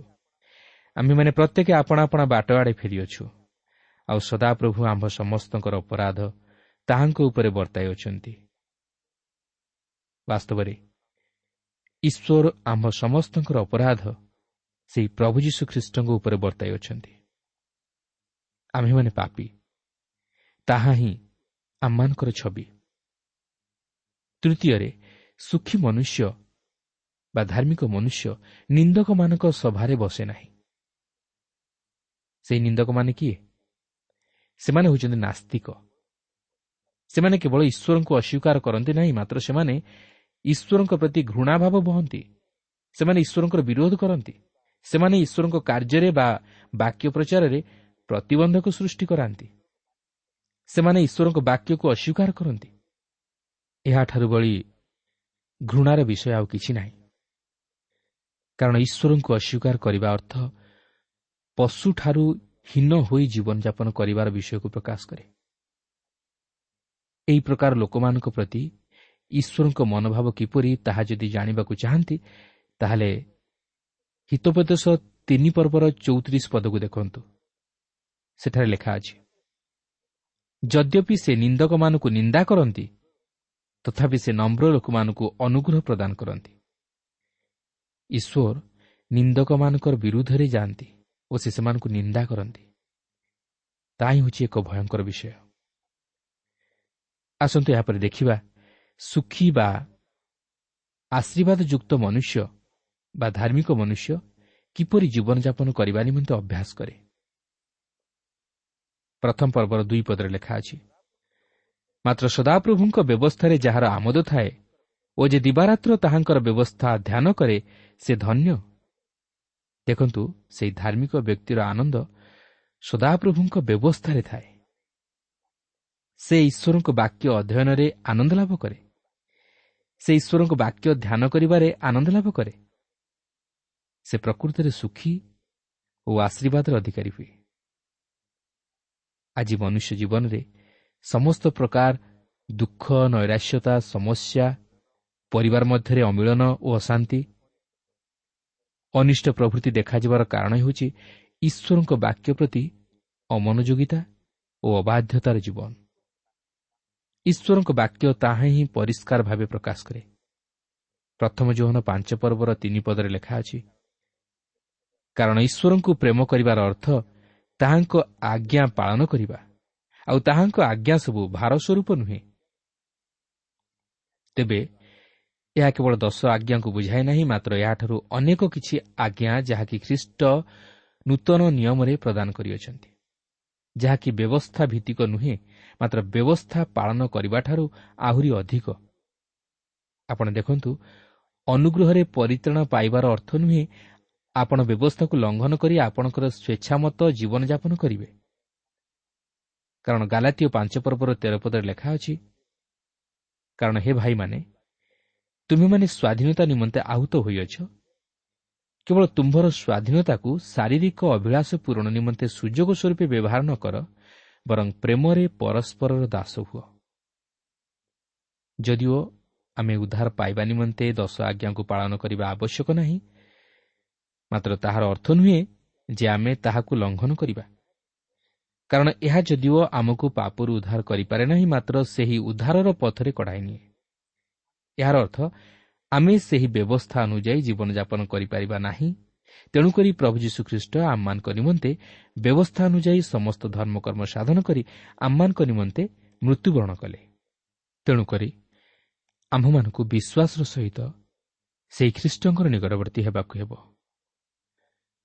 ଆମ୍ଭେମାନେ ପ୍ରତ୍ୟେକ ଆପଣା ଆପଣା ବାଟ ଆଡ଼େ ଫେରିଅଛୁ, ଆଉ ସଦାପ୍ରଭୁ ଆମ୍ଭ ସମସ୍ତଙ୍କର ଅପରାଧ ତାହାଙ୍କ ଉପରେ ବର୍ତ୍ତାଇ ଅଛନ୍ତି। ବାସ୍ତବରେ ଈଶ୍ୱର ଆମ୍ଭ ସମସ୍ତଙ୍କର ଅପରାଧ ସେହି ପ୍ରଭୁ ଯୀଶୁ ଖ୍ରୀଷ୍ଟଙ୍କ ଉପରେ ବର୍ତ୍ତାଇ ଅଛନ୍ତି। ଆମ୍ଭେମାନେ ପାପୀ, ତାହା ହିଁ ଆମମାନଙ୍କର ଛବି। ତୃତୀୟରେ, ସୁଖୀ ମନୁଷ୍ୟ ବା ଧାର୍ମିକ ମନୁଷ୍ୟ ନିନ୍ଦକମାନଙ୍କ ସଭାରେ ବସେ ନାହିଁ। ସେହି ନିନ୍ଦକମାନେ କିଏ? ସେମାନେ ହେଉଛନ୍ତି ନାସ୍ତିକ। ସେମାନେ କେବଳ ଈଶ୍ୱରଙ୍କୁ ଅସ୍ୱୀକାର କରନ୍ତି ନାହିଁ, ମାତ୍ର ସେମାନେ ଈଶ୍ୱରଙ୍କ ପ୍ରତି ଘୃଣାଭାବ ବହନ୍ତି। ସେମାନେ ଈଶ୍ୱରଙ୍କର ବିରୋଧ କରନ୍ତି। ସେମାନେ ଈଶ୍ୱରଙ୍କ କାର୍ଯ୍ୟରେ ବା ବାକ୍ୟ ପ୍ରଚାରରେ ପ୍ରତିବନ୍ଧକ ସୃଷ୍ଟି କରାନ୍ତି। ସେମାନେ ଈଶ୍ୱରଙ୍କ ବାକ୍ୟକୁ ଅସ୍ୱୀକାର କରନ୍ତି। ଏହାଠାରୁ ବଳି ଘୃଣାର ବିଷୟ ଆଉ କିଛି ନାହିଁ। କାରଣ ଈଶ୍ୱରଙ୍କୁ ଅସ୍ୱୀକାର କରିବା ଅର୍ଥ ପଶୁଠାରୁ ହୀନ ହୋଇ ଜୀବନଯାପନ କରିବାର ବିଷୟକୁ ପ୍ରକାଶ କରେ। ଏହି ପ୍ରକାର ଲୋକମାନଙ୍କ ପ୍ରତି ଈଶ୍ୱରଙ୍କ ମନୋଭାବ କିପରି ତାହା ଯଦି ଜାଣିବାକୁ ଚାହାନ୍ତି, ତାହେଲେ ହିତୋପଦେଶ ତିନି ପର୍ବର ଚଉତିରିଶ ପଦକୁ ଦେଖନ୍ତୁ। ସେଠାରେ ଲେଖା ଅଛି, ଯଦ୍ୟପି ସେ ନିନ୍ଦକମାନଙ୍କୁ ନିନ୍ଦା କରନ୍ତି, ତଥାପି ସେ ନମ୍ର ଲୋକମାନଙ୍କୁ ଅନୁଗ୍ରହ ପ୍ରଦାନ କରନ୍ତି। ଈଶ୍ୱର ନିନ୍ଦକମାନଙ୍କର ବିରୁଦ୍ଧରେ ଯାଆନ୍ତି ଓ ସେ ସେମାନଙ୍କୁ ନିନ୍ଦା କରନ୍ତି। ତାହା ହିଁ ହେଉଛି ଏକ ଭୟଙ୍କର ବିଷୟ। ଆସନ୍ତୁ ଏହାପରେ ଦେଖିବା ସୁଖୀ ବା ଆଶୀର୍ବାଦଯୁକ୍ତ ମନୁଷ୍ୟ ବା ଧାର୍ମିକ ମନୁଷ୍ୟ କିପରି ଜୀବନଯାପନ କରିବା ନିମନ୍ତେ ଅଭ୍ୟାସ କରେ। ପ୍ରଥମ ପର୍ବର ଦୁଇ ପଦରେ ଲେଖା ଅଛି, ମାତ୍ର ସଦାପ୍ରଭୁଙ୍କ ବ୍ୟବସ୍ଥାରେ ଯାହାର ଆମୋଦ ଥାଏ ଓ ଯେ ଦିବାରାତ୍ର ତାହାଙ୍କର ବ୍ୟବସ୍ଥା ଧ୍ୟାନ କରେ ସେ ଧନ୍ୟ। ଦେଖନ୍ତୁ, ସେହି ଧାର୍ମିକ ବ୍ୟକ୍ତିର ଆନନ୍ଦ ସଦାପ୍ରଭୁଙ୍କ ବ୍ୟବସ୍ଥାରେ ଥାଏ। ସେ ଈଶ୍ୱରଙ୍କ ବାକ୍ୟ ଅଧ୍ୟୟନରେ ଆନନ୍ଦ ଲାଭ କରେ। ସେ ଈଶ୍ୱରଙ୍କ ବାକ୍ୟ ଧ୍ୟାନ କରିବାରେ ଆନନ୍ଦ ଲାଭ କରେ। ସେ ପ୍ରକୃତରେ ସୁଖୀ ଓ ଆଶୀର୍ବାଦର ଅଧିକାରୀ ହୁଏ। ଆଜି ମନୁଷ୍ୟ ଜୀବନରେ ସମସ୍ତ ପ୍ରକାର ଦୁଃଖ, ନୈରାଶ୍ୟତା, ସମସ୍ୟା, ପରିବାର ମଧ୍ୟରେ ଅମିଳନ ଓ ଅଶାନ୍ତି, ଅନିଷ୍ଟ ପ୍ରଭୃତି ଦେଖାଯିବାର କାରଣ ହେଉଛି ଈଶ୍ୱରଙ୍କ ବାକ୍ୟ ପ୍ରତି ଅମନୋଯୋଗିତା ଓ ଅବାଧ୍ୟତାର ଜୀବନ। ଈଶ୍ୱରଙ୍କ ବାକ୍ୟ ତାହା ହିଁ ପରିଷ୍କାର ଭାବେ ପ୍ରକାଶ କରେ। ପ୍ରଥମ ଯୋହନ ପାଞ୍ଚ ପର୍ବର ତିନି ପଦରେ ଲେଖା ଅଛି, କାରଣ ଈଶ୍ୱରଙ୍କୁ ପ୍ରେମ କରିବାର ଅର୍ଥ ତାହାଙ୍କ ଆଜ୍ଞା ପାଳନ କରିବା, ଆଉ ତାହାଙ୍କ ଆଜ୍ଞା ସବୁ ଭାର ସ୍ୱରୂପ ନୁହେଁ। ତେବେ ଏହା କେବଳ ଦଶ ଆଜ୍ଞାକୁ ବୁଝାଏ ନାହିଁ, ମାତ୍ର ଏହାଠାରୁ ଅନେକ କିଛି ଆଜ୍ଞା ଯାହାକି ଖ୍ରୀଷ୍ଟ ନୂତନ ନିୟମରେ ପ୍ରଦାନ କରିଅଛନ୍ତି, ଯାହାକି ବ୍ୟବସ୍ଥା ଭିତ୍ତିକ ନୁହେଁ, ମାତ୍ର ବ୍ୟବସ୍ଥା ପାଳନ କରିବାଠାରୁ ଆହୁରି ଅଧିକ। ଆପଣ ଦେଖନ୍ତୁ, ଅନୁଗ୍ରହରେ ପରିତ୍ରାଣ ପାଇବାର ଅର୍ଥ ନୁହେଁ ଆପଣ ବ୍ୟବସ୍ଥାକୁ ଲଙ୍ଘନ କରି ଆପଣଙ୍କର ସ୍ୱେଚ୍ଛାମତ ଜୀବନଯାପନ କରିବେ। କାରଣ ଗାଲାତୀୟ ପାଞ୍ଚ ପର୍ବର ତେର ପଦରେ ଲେଖା ଅଛି, କାରଣ ହେ ଭାଇମାନେ, ତୁମେମାନେ ସ୍ୱାଧୀନତା ନିମନ୍ତେ ଆହୁତ ହୋଇଅଛ, କେବଳ ତୁମ୍ଭର ସ୍ୱାଧୀନତାକୁ ଶାରୀରିକ ଅଭିଳାଷ ପୂରଣ ନିମନ୍ତେ ସୁଯୋଗ ସ୍ୱରୂପେ ବ୍ୟବହାର ନ କର, ବରଂ ପ୍ରେମରେ ପରସ୍ପରର ଦାସ ହୁଅ। ଯଦିଓ ଆମେ ଉଦ୍ଧାର ପାଇବା ନିମନ୍ତେ ଦଶ ଆଜ୍ଞାକୁ ପାଳନ କରିବା ଆବଶ୍ୟକ ନାହିଁ, ମାତ୍ର ତାହାର ଅର୍ଥ ନୁହେଁ ଯେ ଆମେ ତାହାକୁ ଲଙ୍ଘନ କରିବା। କାରଣ ଏହା ଯଦିଓ ଆମକୁ ପାପରୁ ଉଦ୍ଧାର କରିପାରେ ନାହିଁ, ମାତ୍ର ସେହି ଉଦ୍ଧାରର ପଥରେ କଢ଼ାଇ ନିଏ। ଏହାର ଅର୍ଥ ଆମେ ସେହି ବ୍ୟବସ୍ଥା ଅନୁଯାୟୀ ଜୀବନଯାପନ କରିପାରିବା ନାହିଁ। ତେଣୁକରି ପ୍ରଭୁ ଯୀଶୁଖ୍ରୀଷ୍ଟ ଆମମାନଙ୍କ ନିମନ୍ତେ ବ୍ୟବସ୍ଥା ଅନୁଯାୟୀ ସମସ୍ତ ଧର୍ମକର୍ମ ସାଧନ କରି ଆମମାନଙ୍କ ନିମନ୍ତେ ମୃତ୍ୟୁବରଣ କଲେ। ତେଣୁକରି ଆମ୍ଭମାନଙ୍କୁ ବିଶ୍ୱାସର ସହିତ ସେହି ଖ୍ରୀଷ୍ଟଙ୍କର ନିକଟବର୍ତ୍ତୀ ହେବାକୁ ହେବ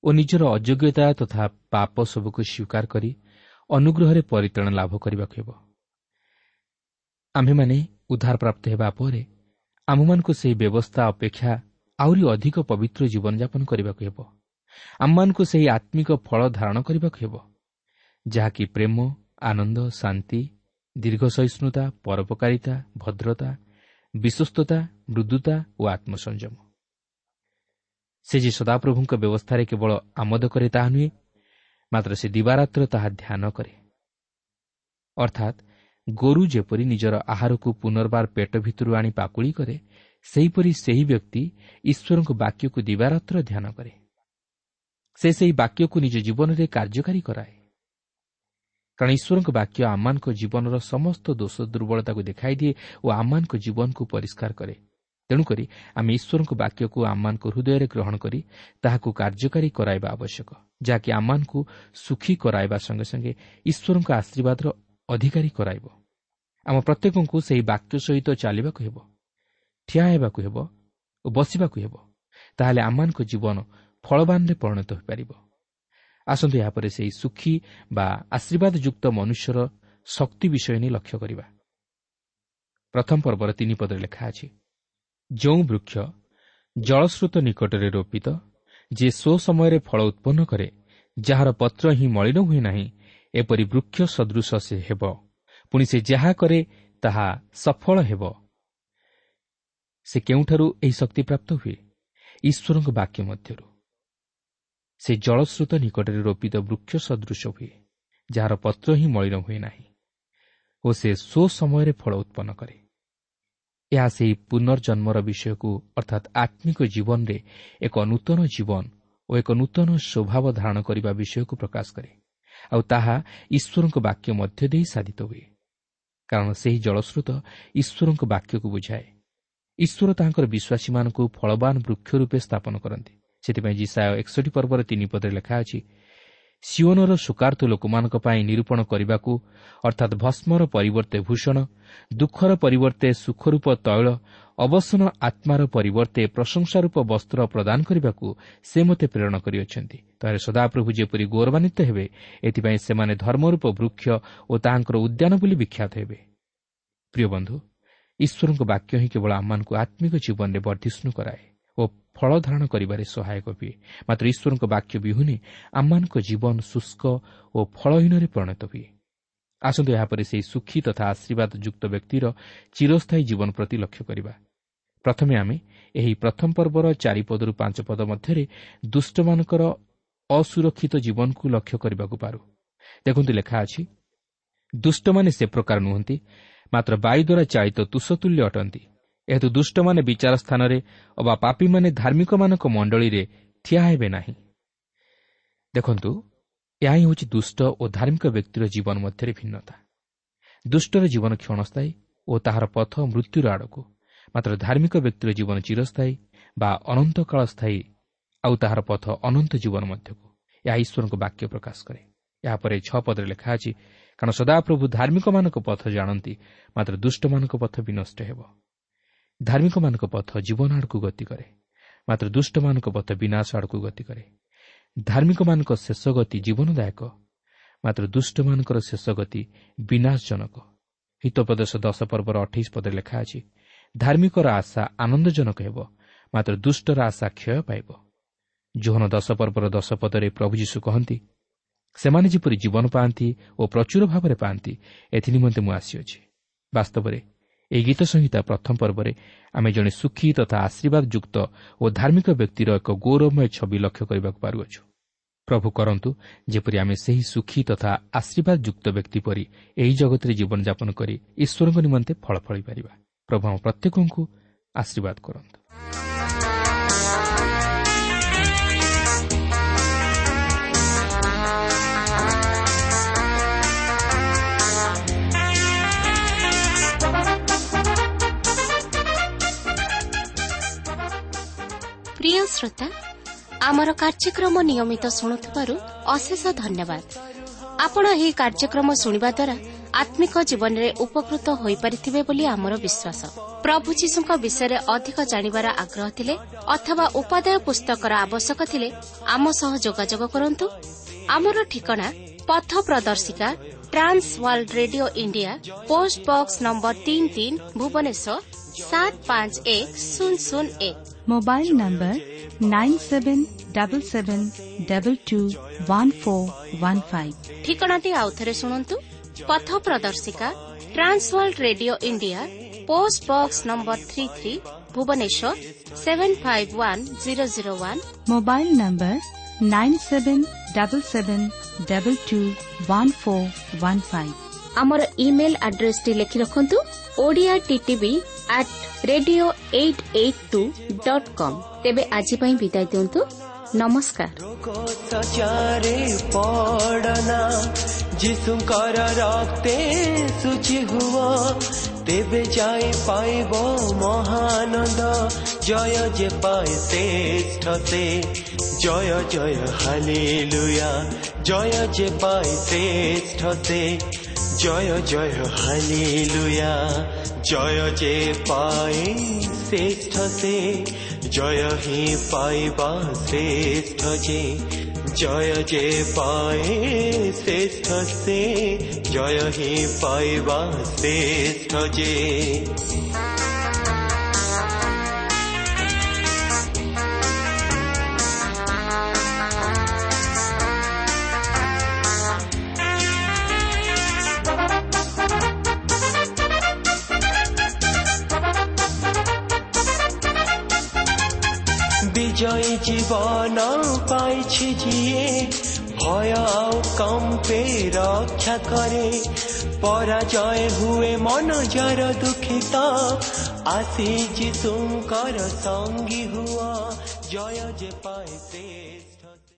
ଓ ନିଜର ଅଯୋଗ୍ୟତା ତଥା ପାପ ସବୁକୁ ସ୍ୱୀକାର କରି ଅନୁଗ୍ରହରେ ପରିତ୍ରାଣ ଲାଭ କରିବାକୁ ହେବ। ଆମ୍ଭେମାନେ ଉଦ୍ଧାରପ୍ରାପ୍ତ ହେବା ପରେ ଆମ୍ଭମାନଙ୍କୁ ସେହି ବ୍ୟବସ୍ଥା ଅପେକ୍ଷା ଆହୁରି ଅଧିକ ପବିତ୍ର ଜୀବନଯାପନ କରିବାକୁ ହେବ। ଆମମାନଙ୍କୁ ସେହି ଆତ୍ମିକ ଫଳ ଧାରଣ କରିବାକୁ ହେବ, ଯାହାକି ପ୍ରେମ, ଆନନ୍ଦ, ଶାନ୍ତି, ଦୀର୍ଘ ସହିଷ୍ଣୁତା, ପରୋପକାରିତା, ଭଦ୍ରତା, ବିଶ୍ୱସ୍ତତା, ମୃଦୁତା ଓ ଆତ୍ମସଂଯମ। ସେ ଯେ ସଦାପ୍ରଭୁଙ୍କ ବ୍ୟବସ୍ଥାରେ କେବଳ ଆମୋଦ କରେ ତାହା ନୁହେଁ, ମାତ୍ର ସେ ଦିବାରାତ୍ର ତାହା ଧ୍ୟାନ କରେ। ଅର୍ଥାତ୍ ଗୋରୁ ଯେପରି ନିଜର ଆହାରକୁ ପୁନର୍ବାର ପେଟ ଭିତରୁ ଆଣି ପାକୁଳି କରେ, ସେହିପରି ସେହି ବ୍ୟକ୍ତି ଈଶ୍ୱରଙ୍କ ବାକ୍ୟକୁ ଦିବାରାତ୍ର ଧ୍ୟାନ କରେ। ସେ ସେହି ବାକ୍ୟକୁ ନିଜ ଜୀବନରେ କାର୍ଯ୍ୟକାରୀ କରାଏ। କାରଣ ଈଶ୍ୱରଙ୍କ ବାକ୍ୟ ଆମମାନଙ୍କ ଜୀବନର ସମସ୍ତ ଦୋଷ ଦୁର୍ବଳତାକୁ ଦେଖାଇ ଦିଏ ଓ ଆମମାନଙ୍କ ଜୀବନକୁ ପରିଷ୍କାର କରେ। ତେଣୁକରି ଆମେ ଈଶ୍ୱରଙ୍କ ବାକ୍ୟକୁ ଆମମାନଙ୍କ ହୃଦୟରେ ଗ୍ରହଣ କରି ତାହାକୁ କାର୍ଯ୍ୟକାରୀ କରାଇବା ଆବଶ୍ୟକ, ଯାହାକି ଆମମାନଙ୍କୁ ସୁଖୀ କରାଇବା ସଙ୍ଗେ ସଙ୍ଗେ ଈଶ୍ୱରଙ୍କ ଆଶୀର୍ବାଦର ଅଧିକାରୀ କରାଇବ। ଆମ ପ୍ରତ୍ୟେକଙ୍କୁ ସେହି ବାକ୍ୟ ସହିତ ଚାଲିବାକୁ ହେବ, ଠିଆ ହେବାକୁ ହେବ ଓ ବସିବାକୁ ହେବ। ତାହେଲେ ଆମମାନଙ୍କ ଜୀବନ ଫଳବାନରେ ପରିଣତ ହୋଇପାରିବ। ଆସନ୍ତୁ ଏହାପରେ ସେହି ସୁଖୀ ବା ଆଶୀର୍ବାଦଯୁକ୍ତ ମନୁଷ୍ୟର ଶକ୍ତି ବିଷୟ ନେଇ ଲକ୍ଷ୍ୟ କରିବା। ପ୍ରଥମ ପର୍ବର ତିନି ପଦରେ ଲେଖା ଅଛି, ଯେଉଁ ବୃକ୍ଷ ଜଳସ୍ରୋତ ନିକଟରେ ରୋପିତ, ଯେ ସ୍ୱ ସମୟରେ ଫଳ ଉତ୍ପନ୍ନ କରେ, ଯାହାର ପତ୍ର ହିଁ ମଳିନ ହୁଏ ନାହିଁ, ଏପରି ବୃକ୍ଷ ସଦୃଶ ସେ ହେବ, ପୁଣି ସେ ଯାହା କରେ ତାହା ସଫଳ ହେବ। ସେ କେଉଁଠାରୁ ଏହି ଶକ୍ତି ପ୍ରାପ୍ତ ହୁଏ? ଈଶ୍ୱରଙ୍କ ବାକ୍ୟ ମଧ୍ୟରୁ। ସେ ଜଳସ୍ରୋତ ନିକଟରେ ରୋପିତ ବୃକ୍ଷ ସଦୃଶ ହୁଏ, ଯାହାର ପତ୍ର ହିଁ ମଳିନ ହୁଏ ନାହିଁ ଓ ସେ ସ୍ୱ ସମୟରେ ଫଳ ଉତ୍ପନ୍ନ କରେ। ଏହା ସେହି ପୁନର୍ଜନ୍ମର ବିଷୟକୁ ଅର୍ଥାତ୍ ଆତ୍ମିକ ଜୀବନରେ ଏକ ନୂତନ ଜୀବନ ଓ ଏକ ନୂତନ ସ୍ୱଭାବ ଧାରଣ କରିବା ବିଷୟକୁ ପ୍ରକାଶ କରେ, ଆଉ ତାହା ଈଶ୍ୱରଙ୍କ ବାକ୍ୟ ମଧ୍ୟ ଦେଇ ସାଧିତ ହୁଏ। କାରଣ ସେହି ଜଳସ୍ରୋତ ଈଶ୍ୱରଙ୍କ ବାକ୍ୟକୁ ବୁଝାଏ। ଈଶ୍ୱର ତାହାଙ୍କର ବିଶ୍ୱାସୀମାନଙ୍କୁ ଫଳବାନ ବୃକ୍ଷ ରୂପେ ସ୍ଥାପନ କରନ୍ତି। ସେଥିପାଇଁ ଯିଶାଇୟ ଏକଷଠି ପର୍ବର ତିନି ପଦରେ ଲେଖା ଅଛି, ସିଓନର ଶୋକାର୍ତ୍ତ ଲୋକମାନଙ୍କ ପାଇଁ ନିରୂପଣ କରିବାକୁ, ଅର୍ଥାତ୍ ଭସ୍ମର ପରିବର୍ତ୍ତେ ଭୂଷଣ, ଦୁଃଖର ପରିବର୍ତ୍ତେ ସୁଖରୂପ ତୈଳ, ଅବସନ ଆତ୍ମାର ପରିବର୍ତ୍ତେ ପ୍ରଶଂସାରୂପ ବସ୍ତ୍ର ପ୍ରଦାନ କରିବାକୁ ସେ ମୋତେ ପ୍ରେରଣ କରିଅଛନ୍ତି। ତାହେଲେ ସଦାପ୍ରଭୁ ଯେପରି ଗୌରବାନ୍ୱିତ ହେବେ, ଏଥିପାଇଁ ସେମାନେ ଧର୍ମରୂପ ବୃକ୍ଷ ଓ ତାହାଙ୍କର ଉଦ୍ୟାନ ବୋଲି ବିଖ୍ୟାତ ହେବେ। ପ୍ରିୟ ବନ୍ଧୁ, ଈଶ୍ୱରଙ୍କ ବାକ୍ୟ ହିଁ କେବଳ ଆମମାନଙ୍କୁ ଆତ୍ମିକ ଜୀବନରେ ବର୍ଦ୍ଧିଷ୍ଣୁ କରାଏ ଓ ଫଳ ଧାରଣ କରିବାରେ ସହାୟକ ହୁଏ। ମାତ୍ର ଈଶ୍ୱରଙ୍କ ବାକ୍ୟ ବିହୁନେ ଆମମାନଙ୍କ ଜୀବନ ଶୁଷ୍କ ଓ ଫଳହୀନରେ ପରିଣତ ହୁଏ। ଆସନ୍ତୁ ଏହାପରେ ସେହି ସୁଖୀ ତଥା ଆଶୀର୍ବାଦ ଯୁକ୍ତ ବ୍ୟକ୍ତିର ଚିରସ୍ଥାୟୀ ଜୀବନ ପ୍ରତି ଲକ୍ଷ୍ୟ କରିବା। ପ୍ରଥମେ ଆମେ ଏହି ପ୍ରଥମ ପର୍ବର ଚାରିପଦରୁ ପାଞ୍ଚ ପଦ ମଧ୍ୟରେ ଦୁଷ୍ଟମାନଙ୍କର ଅସୁରକ୍ଷିତ ଜୀବନକୁ ଲକ୍ଷ୍ୟ କରିବାକୁ ପାରୁ। ଦେଖନ୍ତୁ ଲେଖା ଅଛି, ଦୁଷ୍ଟମାନେ ସେ ପ୍ରକାର ନୁହନ୍ତି, ମାତ୍ର ବାୟୁ ଦ୍ୱାରା ଚାଳିତ ତୁଷତୁଲ୍ୟ ଅଟନ୍ତି। ଏହେତୁ ଦୁଷ୍ଟମାନେ ବିଚାର ସ୍ଥାନରେ ଅବା ପାପୀମାନେ ଧାର୍ମିକମାନଙ୍କ ମଣ୍ଡଳୀରେ ଠିଆ ହେବେ ନାହିଁ। ଦେଖନ୍ତୁ, ଏହା ହିଁ ହେଉଛି ଦୁଷ୍ଟ ଓ ଧାର୍ମିକ ବ୍ୟକ୍ତିର ଜୀବନ ମଧ୍ୟରେ ଭିନ୍ନତା। ଦୁଷ୍ଟର ଜୀବନ କ୍ଷଣସ୍ଥାୟୀ ଓ ତାହାର ପଥ ମୃତ୍ୟୁର ଆଡ଼କୁ, ମାତ୍ର ଧାର୍ମିକ ବ୍ୟକ୍ତିର ଜୀବନ ଚିରସ୍ଥାୟୀ ବା ଅନନ୍ତକାଳ ସ୍ଥାୟୀ, ଆଉ ତାହାର ପଥ ଅନନ୍ତ ଜୀବନ ମଧ୍ୟକୁ। ଏହା ଈଶ୍ୱରଙ୍କ ବାକ୍ୟ ପ୍ରକାଶ କରେ। ଏହାପରେ ଛଅ ପଦରେ ଲେଖା ଅଛି, କାରଣ ସଦାପ୍ରଭୁ ଧାର୍ମିକମାନଙ୍କ ପଥ ଜାଣନ୍ତି, ମାତ୍ର ଦୁଷ୍ଟମାନଙ୍କ ପଥ ବିନଷ୍ଟ ହେବ। ଧାର୍ମିକମାନଙ୍କ ପଥ ଜୀବନ ଆଡ଼କୁ ଗତି କରେ, ମାତ୍ର ଦୁଷ୍ଟମାନଙ୍କ ପଥ ବିନାଶ ଆଡ଼କୁ ଗତି କରେ। ଧାର୍ମିକମାନଙ୍କ ଶେଷ ଗତି ଜୀବନଦାୟକ, ମାତ୍ର ଦୁଷ୍ଟମାନଙ୍କର ଶେଷ ଗତି ବିନାଶଜନକ। ହିତୋପଦେଶ ଦଶ ପର୍ବର ଅଠେଇଶ ପଦରେ ଲେଖା ଅଛି, ଧାର୍ମିକର ଆଶା ଆନନ୍ଦଜନକ ହେବ, ମାତ୍ର ଦୁଷ୍ଟର ଆଶା କ୍ଷୟ ପାଇବ। ଯୋହନ ଦଶ ପର୍ବର ଦଶ ପଦରେ ପ୍ରଭୁ ଯୀଶୁ କହନ୍ତି, ସେମାନେ ଯେପରି ଜୀବନ ପାଆନ୍ତି ଓ ପ୍ରଚୁର ଭାବରେ ପାଆନ୍ତି, ଏଥିନିମନ୍ତେ ମୁଁ ଆସିଅଛି। ବାସ୍ତବରେ ଏହି ଗୀତ ସଂହିତା ପ୍ରଥମ ପର୍ବରେ ଆମେ ଜଣେ ସୁଖୀ ତଥା ଆଶୀର୍ବାଦ ଯୁକ୍ତ ଓ ଧାର୍ମିକ ବ୍ୟକ୍ତିର ଏକ ଗୌରବମୟ ଛବି ଲକ୍ଷ୍ୟ କରିବାକୁ ପାରୁଅଛୁ। ପ୍ରଭୁ କରନ୍ତୁ ଯେପରି ଆମେ ସେହି ସୁଖୀ ତଥା ଆଶୀର୍ବାଦ ଯୁକ୍ତ ବ୍ୟକ୍ତି ପରି ଏହି ଜଗତରେ ଜୀବନଯାପନ କରି ଈଶ୍ୱରଙ୍କ ନିମନ୍ତେ ଫଳ ଫଳିପାରିବା। ପ୍ରଭୁ ଆମ ପ୍ରତ୍ୟେକଙ୍କୁ ଆଶୀର୍ବାଦ କରନ୍ତୁ। ପ୍ରିୟ ଶ୍ରୋତା, ଆମର କାର୍ଯ୍ୟକ୍ରମ ନିୟମିତ ଶୁଣୁଥିବାରୁ ଅଶେଷ ଧନ୍ୟବାଦ। ଆପଣ ଏହି କାର୍ଯ୍ୟକ୍ରମ ଶୁଣିବା ଦ୍ୱାରା ଆତ୍ମିକ ଜୀବନରେ ଉପକୃତ ହୋଇପାରିଥିବେ ବୋଲି ଆମର ବିଶ୍ୱାସ। ପ୍ରଭୁ ଯୀଶୁଙ୍କ ବିଷୟରେ ଅଧିକ ଜାଣିବାର ଆଗ୍ରହ ଥିଲେ ଅଥବା ଉପାଦେୟ ପୁସ୍ତକର ଆବଶ୍ୟକ ଥିଲେ ଆମ ସହ ଯୋଗାଯୋଗ କରନ୍ତୁ। ଆମର ଠିକଣା ପଥ ପ୍ରଦର୍ଶିକା, Trans World Radio India, post box number ତିନି ତିନି, ଭୁବନେଶ୍ୱର ସାତ ପାଞ୍ଚ ଏକ ଶୂନ ଶୂନ ଏକ। Mobile number nine seven double seven double two one four one five. ଠିକଣାଟି ଆଉଥରେ ଶୁଣନ୍ତୁ। ପଥ ପ୍ରଦର୍ଶିକା, Trans World Radio India, post box number three three, Bhubaneswar seven five one zero zero one. Mobile number nine seven double seven double two one four one five. ଆମର email ଆଡ୍ରେସଟି ଲେଖି ରଖନ୍ତୁ, Odia TTV at radio eight eight two dot com. ତେବେ ଆଜି ପାଇଁ ବିଦାୟ ଦିଅନ୍ତୁ। ନମସ୍କାର। ଯୀଶୁଙ୍କର ରକ୍ତେ ଶୁଚି ହୁଅ, ତେବେ ଯାଇ ପାଇବ ମହାନନ୍ଦ। ଜୟ ଯେ ପାଏ ଶ୍ରେଷ୍ଠ ସେ, ଜୟ ଜୟ ହାଲେଲୁୟା। ଜୟ ଯେ ପାଏ ଶ୍ରେଷ୍ଠ ସେ, ଜୟ ଜୟ ହାଲେଲୁୟା। ଜୟ ଯେ ପାଏ ଶ୍ରେଷ୍ଠ ସେ, ଜୟ ହିଁ ପାଇବା ଶ୍ରେଷ୍ଠ ଯେ। ଜୟ ଯେ ପାଏ ଶ୍ରେଷ୍ଠ ସେ, ଜୟ ହିଁ ପାଇବା ଶ୍ରେଷ୍ଠ ଯେ। ବିଜୟୀ ଜୀବନ ପାଇଛି ଯିଏ, ଭୟ ଆଉ କମ୍ପେ ରକ୍ଷା କରେ। ପରାଜୟ ହୁଏ ମନ ଯାର ଦୁଃଖିତ, ଆସି ଯୀଶୁଙ୍କର ସଙ୍ଗୀ ହୁଅ। ଜୟ ଯେ ପାଏ ଶ୍ରେଷ୍ଠ।